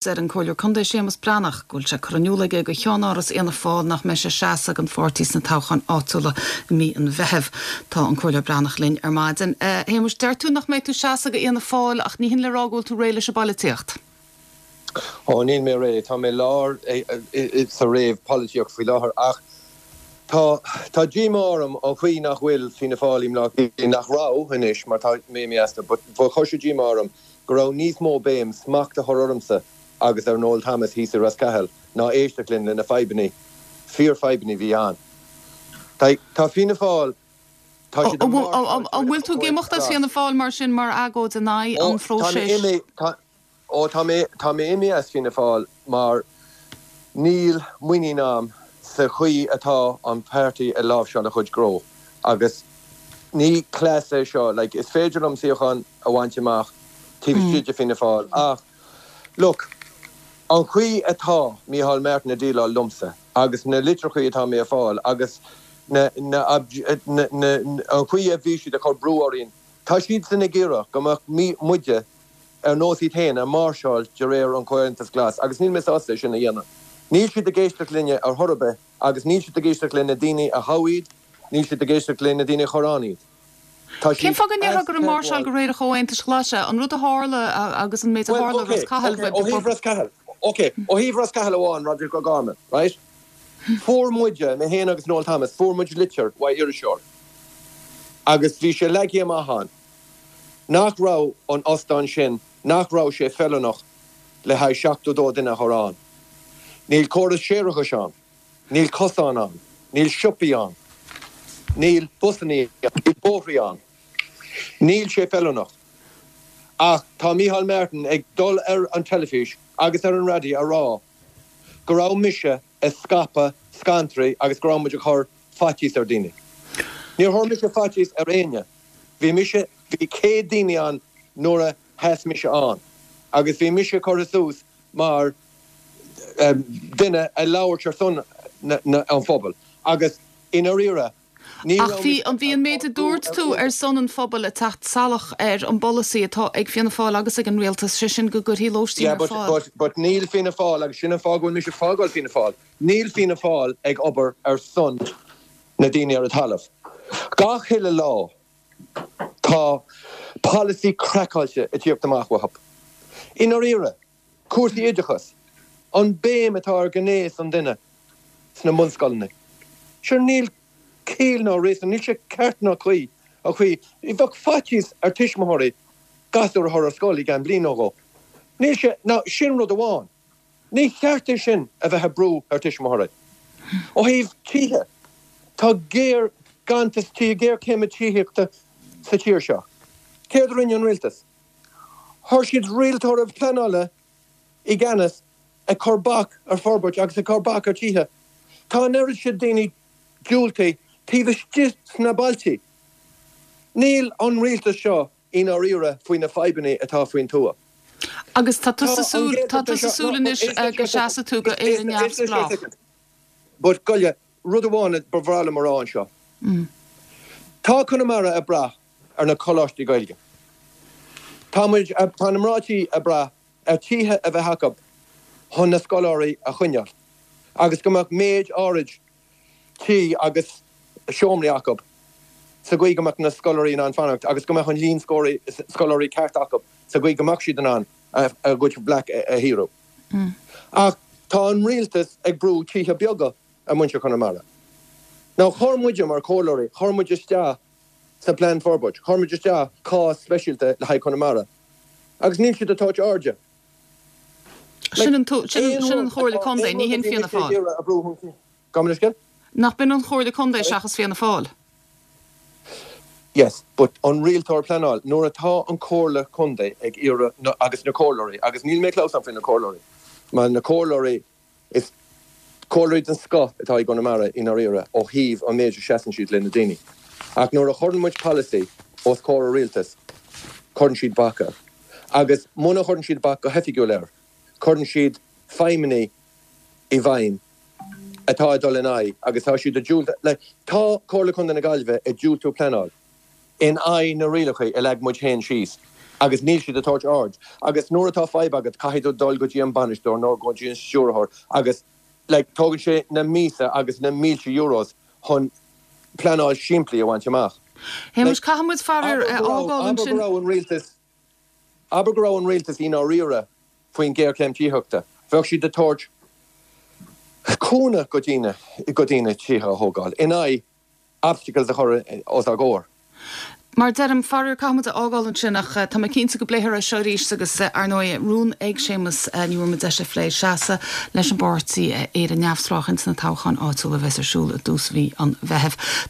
Deir an Comhairleoir Contae Séamus Breathnach go bhfuil sé curtha in iúl aige do cheannáras Fhianna Fáil nach mbeidh sé ag seasamh don pháirtí sna toghcháin áitiúla i mí an Mheithimh. Tá an Comhairleoir Breathnach linn ar maidin. A Shéamuis, deir tú nach mbeidh tú ag seasamh do Fhianna Fáil ach ní hin le rá go bhfuil tú réidh leis an bpolaitíocht. Ó, níl mé réidh. Tá mé lár sa réamh-pholaitíocht faoi láthair ach tá tá díomá orm an chaoi nach bhfuil Fianna Fáil i mBleá Cliath, nach raibh anois mar tá mé imithe astu, but chuir sé díomá orm go raibh níos mó béim smacht a chur ormsa agus ar Noel Thomas thíos i Ros Cathail ná éisteacht linn le na fadhbannaí, fíor-fhadhbannaí bhí ann. Tá Fianna Fáil, tá siad ag máirseáil An bhfuil tú ag imeacht as Fianna Fáil mar sin mar agóid in aghaidh an phróisis? Ó tá mé, tá mé imithe as Fianna Fáil mar níl muinín a'm sa chaoi atá an páirtí ag láimhseáil a chuid gnó agus ní cleas é seo, like is féidir liom suíochán a bhaint amach taobh istigh de Fianna Fáil ach look, an chaoi atá Micheál Martin ag déileáil liomsa agus na litreachaí atá mé ag fáil agus na, na, na, na, an chaoi a bhí siad ag cur brú orainn, tá siadsan ag iarraidh go mbeadh muide ar nós iad féin ag máirseáil de réir an Chomhaontais Glas agus níl mé sásta é sin a dhéanamh. Níl siad ag éisteacht linne ar chor ar bith agus níl siad ag éisteacht le na daoine a thogh iad, níl siad ag éisteacht le na daoine a chuir ann iad. Tá Cén siad fáth go ndéarfá gur ag máirseáil de réir an Chomhaontais Ghlais é? An rud a tharla agus an méid a tharla i Ros Cathail, ok, ó thaobh Ros Cathail, ok, ó thaobh Ros Cathail amháin, Roderic O'Gorman, right? Fuair muide, mé féin agus Noel Thomas, fuair muid litir uaidh iriseoir agus bhí sé leagtha amach ann nach raibh an ostán sin, nach raibh sé feiliúnach le haghaidh 72 duine a chur ann. Níl córas séarachais ann, níl cosáin ann, níl siopaí ann, níl busannaí ann, níl bóithrí ann. Níl sé feiliúnach. Ach tá Micheál Martin ag dul ar an teilifís agus ar an raidió a rá go raibh mise ag scaipeadh scantraí agus go raibh muid ag cur faitíos ar daoine. Níor chuir mise faitíos ar éinne. Bhí mise, bhí 100 daoine ann nuair a sheas mise ann agus bhí mise curtha suas mar duine a labhairt ar son an phobail agus i ndáiríre ní Ach raibh bhí mise an bhí an méid a dúirt tú ar son an phobail ag teacht salach ar an bpolasaí atá ag Fianna Fáil agus ag an Rialtas, sé sin go gcuirfí lóistín Yeah ar but fáil. but but níl Fianna Fáil agus sin an fáth go bhfuil mise ag fágáil Fianna Fáil, níl Fianna Fáil ag obair ar son na daoine ar an talamh. Gach uile lá tá polasaí craiceáilte ag tíocht amach uathu. I ndáiríre, cúrsaí oideachais, an béim atá ar ghnéas an duine sna bunscoileanna, sure níl ciall ná réasún, níl sé ceart ná cuí an chaoi, bheadh faitíos ar tuismitheoirí gasúr a chur ar scoil i gceann bliain nó dhó. Níl sé, now sin rud amháin. Ní cheart é sin a bheith ag brú ar tuismitheoirí. Ó thaobh tithe, tá géar ganntanas tithe, géarchéim tithíochta sa tír seo. Céard a rinne an rialtas? Chuir siad rialtóir pleanála i gceannas ag cur bac ar forbairt agus ag cur bac ar tithe. Tá an oiread sin daoine diúltaithe taobh istigh sna bailtí. Níl an rialtas seo i ndáiríre faoi na fadhbanna atá faoin tuath. Agus tá tusa súil, tá tusa súil anois go seasfaidh tú go Éire Neamhspleách. But gabh, rud amháin a ba bhreá liom a rá anseo. Tá Conamara ag brath ar na coláistí Gaeilge. Tá muid, tá na mná tí ag brath ar tithe a bheith acu chun na scoláirí a choinneáil agus go mbeadh méid áirid tí agus seomraí acu sa gcaoi go mbeadh na scoláirí in ann fanacht agus go mbeadh an líon scoláirí ceart acu sa gcaoi go mbeadh siad in ann a gcuid leac a shaothrú. Ach tá an rialtas ag brú tithe beaga ar mhuintir Chonamara. Now chuir muide mar chomhairleoirí, chuir muid isteach sa plean forbairt, chuir muid isteach cás speisialta le haghaidh Chonamara agus níl siad ag tabhairt airde. Sin an Chomhairle Contae, ní hin Fianna Fáil. Gabh mo leithscéal? Nach b'in an Chomhairle Contae seachas Fianna Fáil? Yes, but an rialtóir pleanáil, nuair atá an Comhairle Contae ag iarraidh, agus na comhairleoirí, agus níl mé ag clamhsán faoi na comhairleoirí, mar na comhairleoirí, is comhairleoirí den scoth atá i gConamara i ndáiríre ó thaobh an méid a seasann siad le na daoine. Ach nuair a chuireann muid polasaí os comhair an rialtais, cuireann siad bac air. Agus muna chuireann siad bac go hoifigiúil air, cuireann siad feidhmeannaigh i bhfeidhm atá ag dul in aghaidh agus tá siad ag diúltú, like, tá Comhairle Contae na Gaillimhe ag diúltú pleanáil in aghaidh na rialacha a leag muid féin síos. Agus níl siad ag tabhairt aird. Agus nuair atá fadhb agat, caithfidh tú dul go dtí an bainisteoir nó go dtí an stiúrthóir agus like tógann sé na míosa agus na mílte euros chun pleanáil simplí a bhaint amach. Shéamais, caithfidh muid faraor é a fhágáil ansin. Abair go raibh an rialtas, abair go raibh an rialtas i ndáiríre faoin ghéarchéim tithíochta, bheadh siad ag tabhairt cúnamh go daoine, go daoine tithe a thógáil in aghaidh obstacles a chur os ár gcomhair. Mar deirim, faraor caithfidh muid a fhágáil ansin ach tá mé cinnte go bpléifear é seo arís agus ar ndóigh rún ag Séamus, ní bhfuair muid deis a phlé, seasamh leis an bpáirtí Éire Neamhspleách ins na toghcháin áitiúla a bheas ar siúl i dtús mhí an Mheithimh.